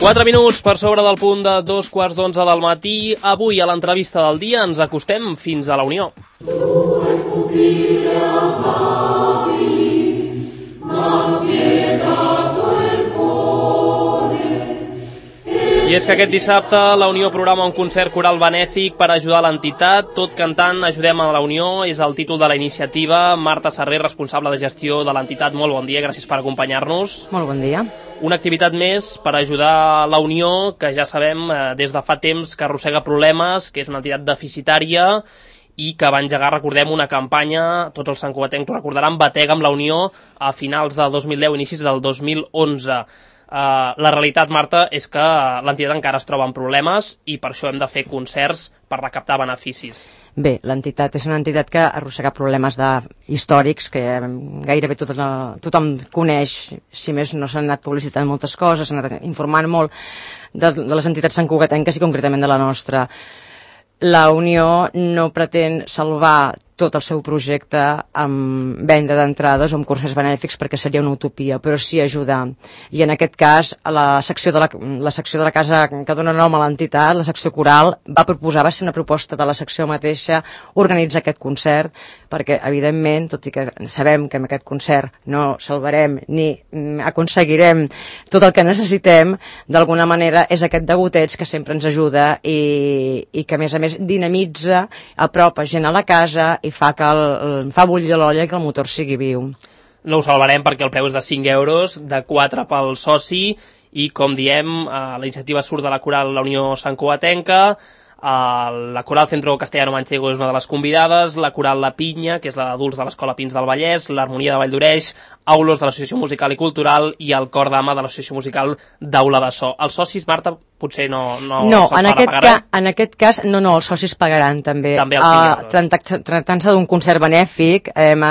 4 minuts per sobre del punt de 2:15 del matí. Avui, a l'entrevista del dia, ens acostem fins a la Unió. I és que aquest dissabte la Unió programa un concert coral benèfic per ajudar l'entitat. Tot cantant Ajudem a la Unió és el títol de la iniciativa. Marta Serrer, responsable de gestió de l'entitat, molt bon dia, gràcies per acompanyar-nos. Molt bon dia. Una activitat més per ajudar la Unió, que ja sabem des de fa temps que arrossega problemes, que és una entitat deficitària i que va engegar, recordem, una campanya, tots els santcugatencs ho recordaran, Batega amb la Unió a finals del 2010, inicis del 2011. La realitat, Marta, és que l'entitat encara es troba en problemes i per això hem de fer concerts per recaptar beneficis. Bé, l'entitat és una entitat que arrossega problemes històrics que gairebé tothom coneix, si més no s'han anat publicitant moltes coses, s'han anat informant molt de les entitats santcugatenques i concretament de la nostra. La Unió no pretén salvar tot el seu projecte amb venda d'entrades o amb concerts benèfics perquè seria una utopia, però sí ajudar. I en aquest cas, la secció de la casa que dona nom a l'entitat, la secció coral, va ser una proposta de la secció mateixa organitzar aquest concert, perquè evidentment, tot i que sabem que amb aquest concert no salvarem ni aconseguirem tot el que necessitem, d'alguna manera és aquest degoteig que sempre ens ajuda i que a més dinamitza, apropa gent a la casa i fa bullir l'olla i que el motor sigui viu. No ho salvarem perquè el preu és de 5 euros, de 4 pel soci, i com diem, la iniciativa surt de la coral La Unió Santcugatenca, la coral Centro Castellano Manchego és una de les convidades, la coral La Pinya, que és la d'adults de l'Escola Pins del Vallès, l'Harmonia de Valldoreix, Aulos de l'Associació Musical i Cultural i el Cor Dama de l'Associació Musical d'Aula de So. Els socis, Marta, potser no en aquest cas, els socis pagaran també. També els 5 euros. Tractant-se d'un concert benèfic, hem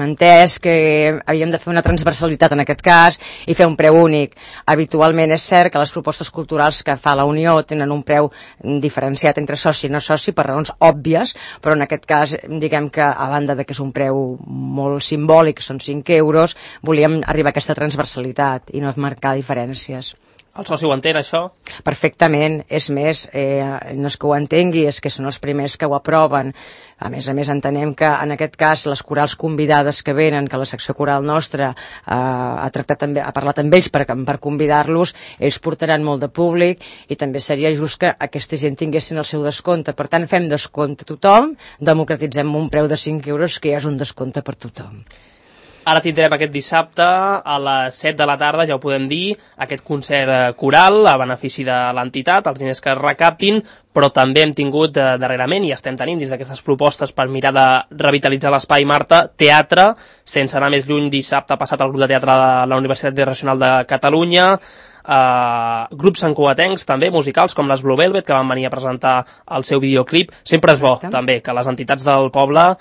entès que havíem de fer una transversalitat en aquest cas i fer un preu únic. Habitualment és cert que les propostes culturals que fa la Unió tenen un preu diferenciat entre soci i no soci per raons òbvies, però en aquest cas, diguem que a banda de que és un preu molt simbòlic, són 5 euros, volíem arribar a aquesta transversalitat i no marcar diferències. El soci ho entén, això? Perfectament. És més, no és que ho entengui, és que són els primers que ho aproven. A més, entenem que en aquest cas les corals convidades que venen, que la secció coral nostra ha parlat amb ells per convidar-los, ells portaran molt de públic i també seria just que aquesta gent tinguessin el seu descompte. Per tant, fem descompte a tothom, democratitzem un preu de 5 euros que ja és un descompte per tothom. Ara tindrem aquest dissabte a les 7 de la tarda, ja ho podem dir, aquest concert coral a benefici de l'entitat, els diners que es recaptin, però també hem tingut darrerament, i estem tenint dins d'aquestes propostes per mirar de revitalitzar l'espai, Marta, teatre, sense anar més lluny, dissabte passat el grup de teatre de la Universitat Internacional de Catalunya, grups santcugatencs també, musicals, com les Blue Velvet, que van venir a presentar el seu videoclip. Sempre és bo, també, que les entitats del poble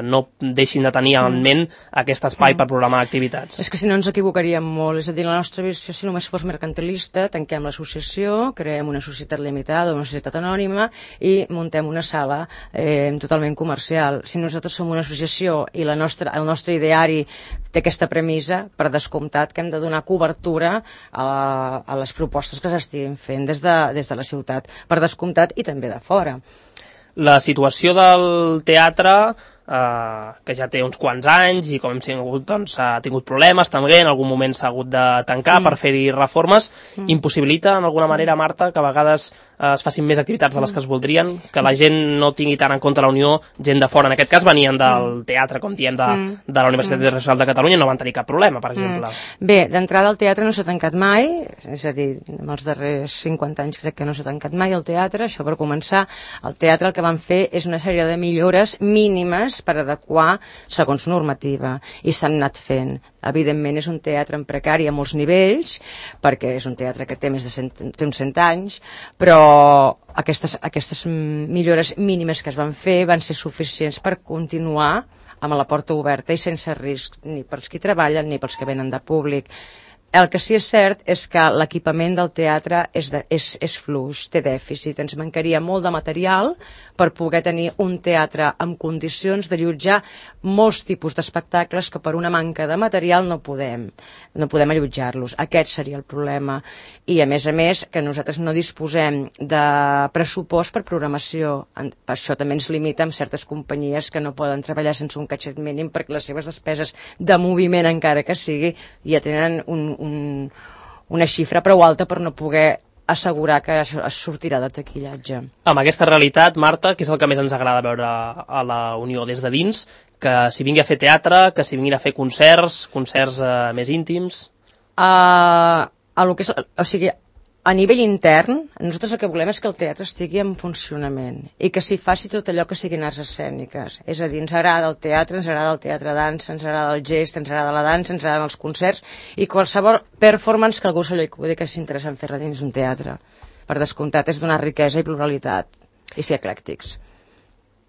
no deixin de tenir en ment aquest espai per programar activitats. És que si no ens equivocaríem molt, és a dir, la nostra visió, si només fos mercantilista, tanquem l'associació, creem una societat limitada, una societat anònima i muntem una sala totalment comercial. Si nosaltres som una associació i el nostre ideari té aquesta premissa, per descomptat que hem de donar cobertura a les propostes que s'estiguin fent des de la ciutat, per descomptat, i també de fora. La situació del teatre, que ja té uns quants anys i com hem sigut, doncs, ha tingut problemes també, en algun moment s'ha hagut de tancar per fer-hi reformes, impossibilita en alguna manera, Marta, que a vegades es facin més activitats de les que es voldrien, que la gent no tingui tant en compte la Unió, gent de fora, en aquest cas venien del teatre, com diem, de la Universitat Internacional de Catalunya, no van tenir cap problema, per exemple. Bé, d'entrada el teatre no s'ha tancat mai, és a dir, en els darrers 50 anys crec que no s'ha tancat mai el teatre, això per començar. El teatre el que van fer és una sèrie de millores mínimes per adequar segons normativa, i s'han anat fent. Evidentment és un teatre en precari a molts nivells, perquè és un teatre que té més de 100 anys, però aquestes millores mínimes que es van fer van ser suficients per continuar amb la porta oberta i sense risc ni pels qui treballen ni pels que venen de públic. El que sí és cert és que l'equipament del teatre és fluix, té dèficit. Ens mancaria molt de material per poder tenir un teatre amb condicions de allotjar molts tipus d'espectacles que per una manca de material no podem allotjar-los. Aquest seria el problema. I a més, que nosaltres no disposem de pressupost per programació. Per això també ens limita amb certes companyies que no poden treballar sense un catxet mínim perquè les seves despeses de moviment, encara que sigui, ja tenen una xifra prou alta per no poder assegurar que això es sortirà de taquillatge. Amb aquesta realitat, Marta, què és el que més ens agrada veure a la Unió des de dins? Que s'hi vingui a fer teatre, que s'hi vinguin a fer concerts més íntims? A nivell intern, nosaltres el que volem és que el teatre estigui en funcionament i que s'hi faci tot allò que siguin arts escèniques. És a dir, ens agrada el teatre, ens agrada el teatre dansa, ens agrada el gest, ens agrada la dansa, ens agraden els concerts i qualsevol performance que algú se li acudi que s'interessa en fer-la dins d'un teatre. Per descomptat, és donar riquesa i pluralitat i ser eclèctics.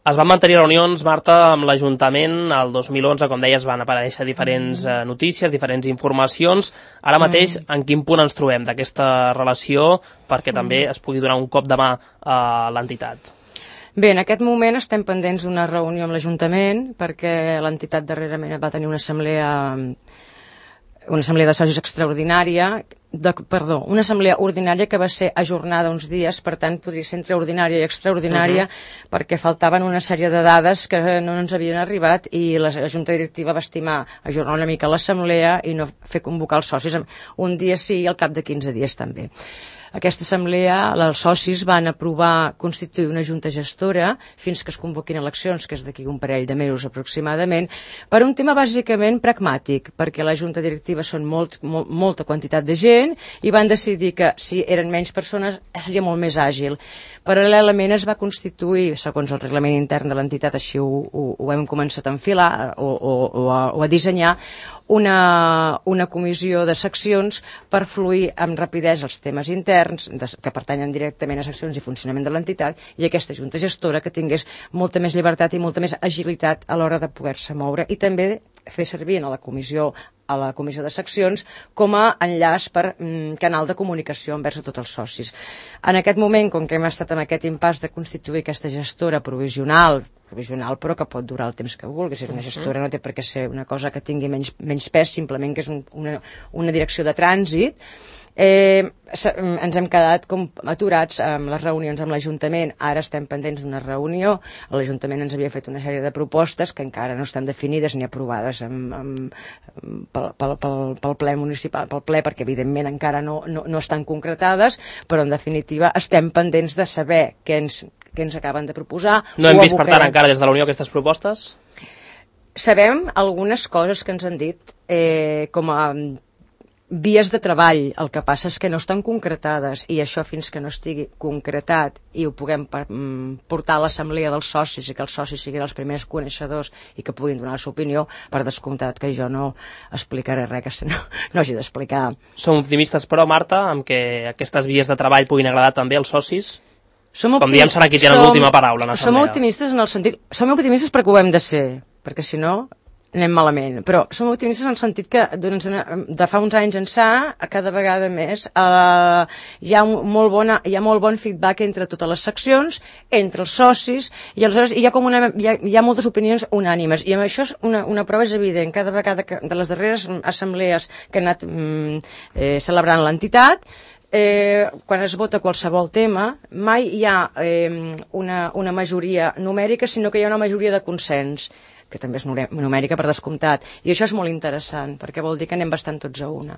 Es van mantenir reunions, Marta, amb l'Ajuntament. El 2011, com deies, van aparèixer diferents notícies, diferents informacions. Ara mateix, en quin punt ens trobem d'aquesta relació perquè també es pugui donar un cop de mà a l'entitat? Bé, en aquest moment estem pendents d'una reunió amb l'Ajuntament perquè l'entitat darrerament va tenir una assemblea de socis extraordinària, una assemblea ordinària que va ser ajornada uns dies, per tant podria ser entre ordinària i extraordinària perquè faltaven una sèrie de dades que no ens havien arribat i la Junta Directiva va estimar ajornar una mica l'assemblea i no fer convocar els socis un dia sí i al cap de 15 dies també. Aquesta assemblea, els socis van aprovar constituir una junta gestora fins que es convoquin eleccions, que és d'aquí un parell de mesos aproximadament, per un tema bàsicament pragmàtic, perquè la junta directiva són molta quantitat de gent i van decidir que si eren menys persones seria molt més àgil. Paral·lelament es va constituir, segons el reglament intern de l'entitat, així ho hem començat a enfilar o a dissenyar, una comissió de seccions per fluir amb rapidesa els temes interns que pertanyen directament a seccions i funcionament de l'entitat i aquesta junta gestora que tingués molta més llibertat i molta més agilitat a l'hora de poder-se moure i també fer servir a la comissió de seccions com a enllaç per canal de comunicació envers a tots els socis. En aquest moment, com que hem estat en aquest impàs de constituir aquesta gestora provisional però que pot durar el temps que vulgui, si és una gestora no té per què ser una cosa que tingui menys pes, simplement que és una direcció de trànsit. Ens hem quedat com aturats amb les reunions amb l'Ajuntament. Ara estem pendents d'una reunió. L'Ajuntament ens havia fet una sèrie de propostes que encara no estan definides ni aprovades pel ple municipal, pel ple, perquè evidentment encara no estan concretades, però en definitiva estem pendents de saber què ens acaben de proposar. No hem vist per tant encara des de la Unió aquestes propostes? Sabem algunes coses que ens han dit com a vies de treball, el que passa és que no estan concretades i això fins que no estigui concretat i ho puguem portar a l'assemblea dels socis i que els socis siguin els primers coneixedors i que puguin donar la seva opinió, per descomptat que jo no explicaré res que no hagi d'explicar. Som optimistes però, Marta, amb que aquestes vies de treball puguin agradar també als socis? Com diem, serà qui té l'última paraula en l'assemblea. Som optimistes en el sentit... Som optimistes perquè ho hem de ser, perquè si no anem malament, però som optimistes en el sentit que de fa uns anys ençà, cada vegada més, hi ha molt bon feedback entre totes les seccions, entre els socis, i aleshores hi ha moltes opinions unànimes, i amb això una prova és evident. Cada vegada que de les darreres assemblees que han anat celebrant l'entitat, quan es vota qualsevol tema, mai hi ha una majoria numèrica, sinó que hi ha una majoria de consens, que també és numèrica per descomptat, i això és molt interessant, perquè vol dir que anem bastant tots a una.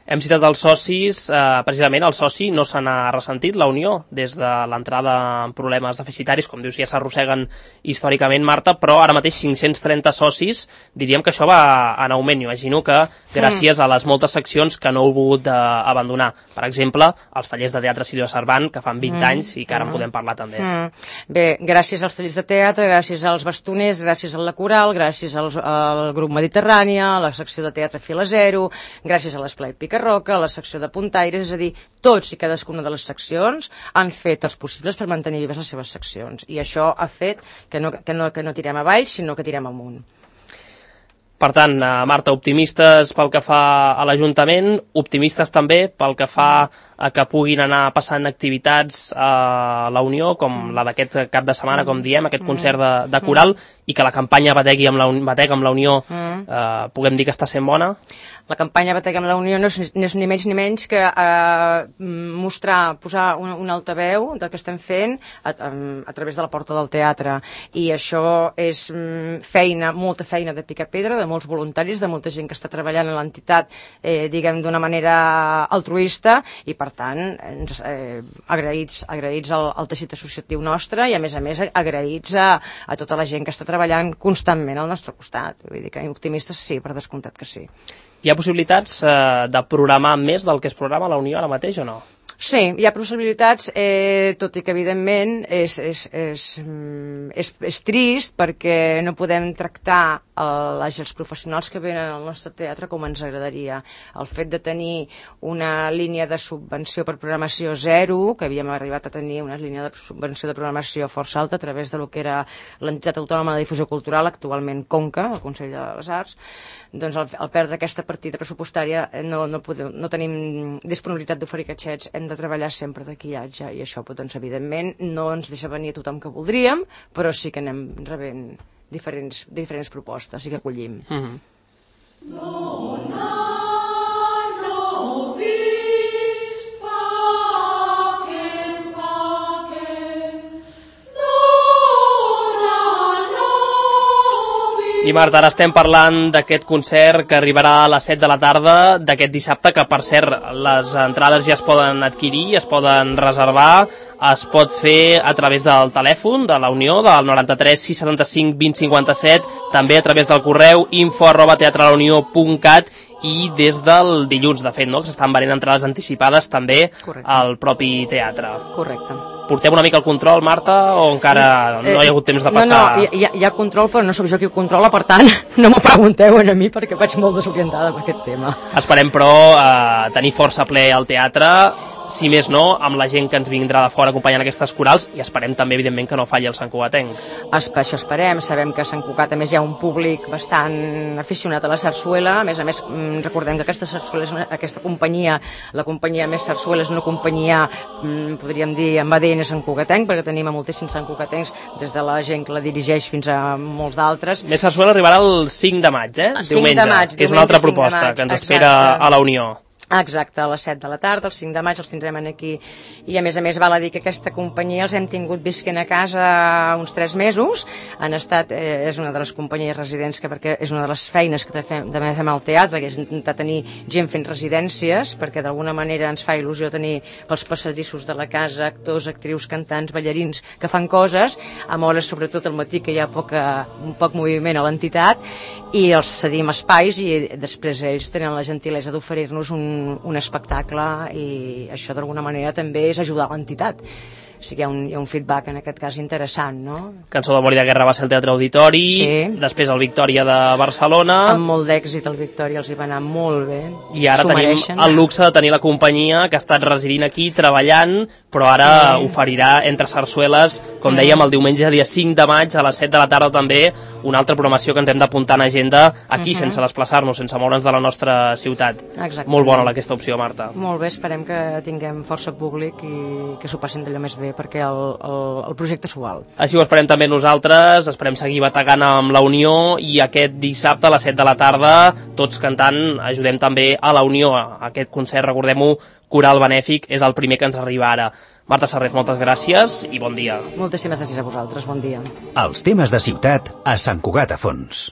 Hem citat els socis, precisament el soci no se n'ha ressentit, la Unió, des de l'entrada en problemes deficitaris, com dius, ja s'arrosseguen històricament, Marta, però ara mateix 530 socis, diríem que això va en augment. Imagino que gràcies a les moltes seccions que no heu volgut abandonar. Per exemple, els tallers de teatre Sílvia Cervant, que fan 20 anys i que ara en podem parlar també. Bé, gràcies als tallers de teatre, gràcies als bastoners, gràcies a la coral, gràcies al grup Mediterrània, a la secció de teatre Fila Zero, gràcies a l'Esplai Pica Roca, a la secció de Puntaires, és a dir, tots i cadascuna de les seccions han fet els possibles per mantenir vives les seves seccions, i això ha fet que no tirem avall, sinó que tirem amunt. Per tant, Marta, optimistes pel que fa a l'Ajuntament, optimistes també pel que fa a que puguin anar passant activitats a la Unió, com la d'aquest cap de setmana, com diem, aquest concert de coral, i que la campanya Batega amb la Unió puguem dir que està sent bona? La campanya Batega amb la Unió no és ni menys ni menys que mostrar, posar un altaveu del que estem fent a través de la porta del teatre, i això és feina, molta feina de picar pedra, de molts voluntaris, de molta gent que està treballant a l'entitat, diguem, d'una manera altruista, i per tant agraïts al teixit associatiu nostre, i a més agraïts a tota la gent que està treballant constantment al nostre costat. Vull dir que optimistes sí, per descomptat que sí. Hi ha possibilitats de programar més del que es programa a la Unió ara mateix o no? Sí, hi ha possibilitats, tot i que evidentment és trist perquè no podem tractar els professionals que venen al nostre teatre com ens agradaria. El fet de tenir una línia de subvenció per programació zero, que havíem arribat a tenir una línia de subvenció de programació força alta a través de lo que era l'entitat autònoma de difusió cultural, actualment Conca, el Consell de les Arts, doncs al perdre aquesta partida pressupostària no tenim disponibilitat d'oferir catxets, hem de treballar sempre de quillatge, i això doncs, evidentment no ens deixa venir a tothom que voldríem, però sí que anem rebent diferents propostes i que acollim. I Marta, ara estem parlant d'aquest concert que arribarà a les 7 de la tarda d'aquest dissabte, que per cert les entrades ja es poden adquirir, es poden reservar, es pot fer a través del telèfon de la Unió, del 93 675 2057, també a través del correu info@teatralaunió.cat, i des del dilluns, de fet, no? Que s'estan venent entrades anticipades també al propi teatre. Correcte. Portem una mica el control, Marta, o encara no hi ha hagut temps de passar? No, hi ha control, però no sóc jo qui ho controla, per tant, no m'ho pregunteu a mi perquè vaig molt desorientada amb aquest tema. Esperem, però, tenir força ple al teatre, si més no, amb la gent que ens vindrà de fora acompanyant aquestes corals, i esperem també, evidentment, que no falli el Sant Cugatenc. Això esperem. Sabem que a Sant Cugat, a més, hi ha un públic bastant aficionat a la sarsuela. A més, recordem que aquesta companyia, la companyia Més Sarsuela, és una companyia, podríem dir, amb ADN Sant Cugatenc, perquè tenim a moltíssims Sant Cugatencs, des de la gent que la dirigeix fins a molts d'altres. Més Sarsuela arribarà el 5 de maig, El 5 de maig, que és una altra proposta que ens espera a la Unió. Exacte, a les 7 de la tarda, el 5 de maig els tindrem aquí, i a més val a dir que aquesta companyia els hem tingut visquent a casa uns 3 mesos, han estat, és una de les companyies residents, perquè és una de les feines que també fem al teatre, que és intentar tenir gent fent residències, perquè d'alguna manera ens fa il·lusió tenir pels passadissos de la casa actors, actrius, cantants, ballarins que fan coses, amb hores sobretot al matí que hi ha poc moviment a l'entitat, i els cedim espais, i després ells tenen la gentilesa d'oferir-nos un espectacle, i això d'alguna manera també és ajudar l'entitat. O sigui, hi ha un feedback en aquest cas interessant, no? Cançó d'Amor i de Guerra va ser el Teatre Auditori, després el Victòria de Barcelona. Amb molt d'èxit el Victòria, els hi va anar molt bé. I ara tenim el luxe de tenir la companyia que ha estat residint aquí, treballant, però ara oferirà entre sarsueles, com dèiem, el diumenge dia 5 de maig a les 7 de la tarda també, una altra programació que ens hem d'apuntar en agenda aquí, sense desplaçar-nos, sense moure'ns de la nostra ciutat. Exacte. Molt bona aquesta opció, Marta. Molt bé, esperem que tinguem força públic i que s'ho passin d'allò més bé, perquè el projecte s'ho val. Així ho esperem també nosaltres, esperem seguir bategant amb la Unió, i aquest dissabte a les 7 de la tarda, tots cantant, ajudem també a la Unió. Aquest concert, recordem-ho, coral benèfic, és el primer que ens arriba ara. Marta Serret, moltes gràcies i bon dia. Moltíssimes gràcies a vosaltres, bon dia. Els temes de ciutat a Sant Cugat a Fons.